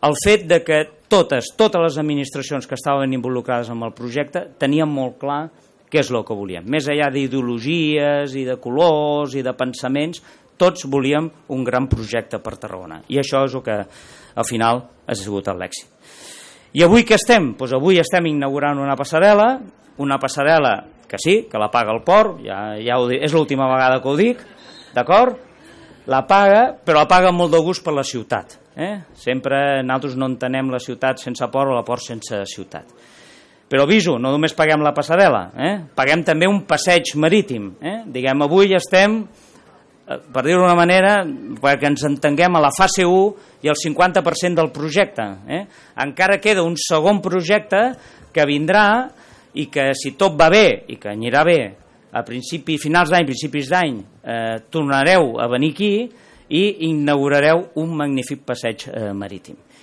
el fet de que totes les administracions que estaven involucrades en el projecte tenien molt clar què és el que volíem. Més enllà d'ideologies i de colors i de pensaments, tots volíem un gran projecte per Tarragona. I això és el que al final ha sigut l'èxit. I avui què estem? Doncs avui estem inaugurant una passarel·la que sí, que la paga el port, ja ho dic, és l'última vegada que ho dic, d'acord? La paga, però la paga amb molt de gust per la ciutat. Sempre nosaltres no entenem la ciutat sense port o la port sense ciutat. Però aviso, no només paguem la passarel·la, paguem també un passeig marítim. Diguem, avui estem, per dir-ho d'una manera, perquè ens entenguem, a la fase 1 i el 50% del projecte. Encara queda un segon projecte que vindrà i que, si tot va bé i que anirà bé, a finals d'any, principis d'any, tornareu a venir aquí i inaugurareu un magnífic passeig marítim.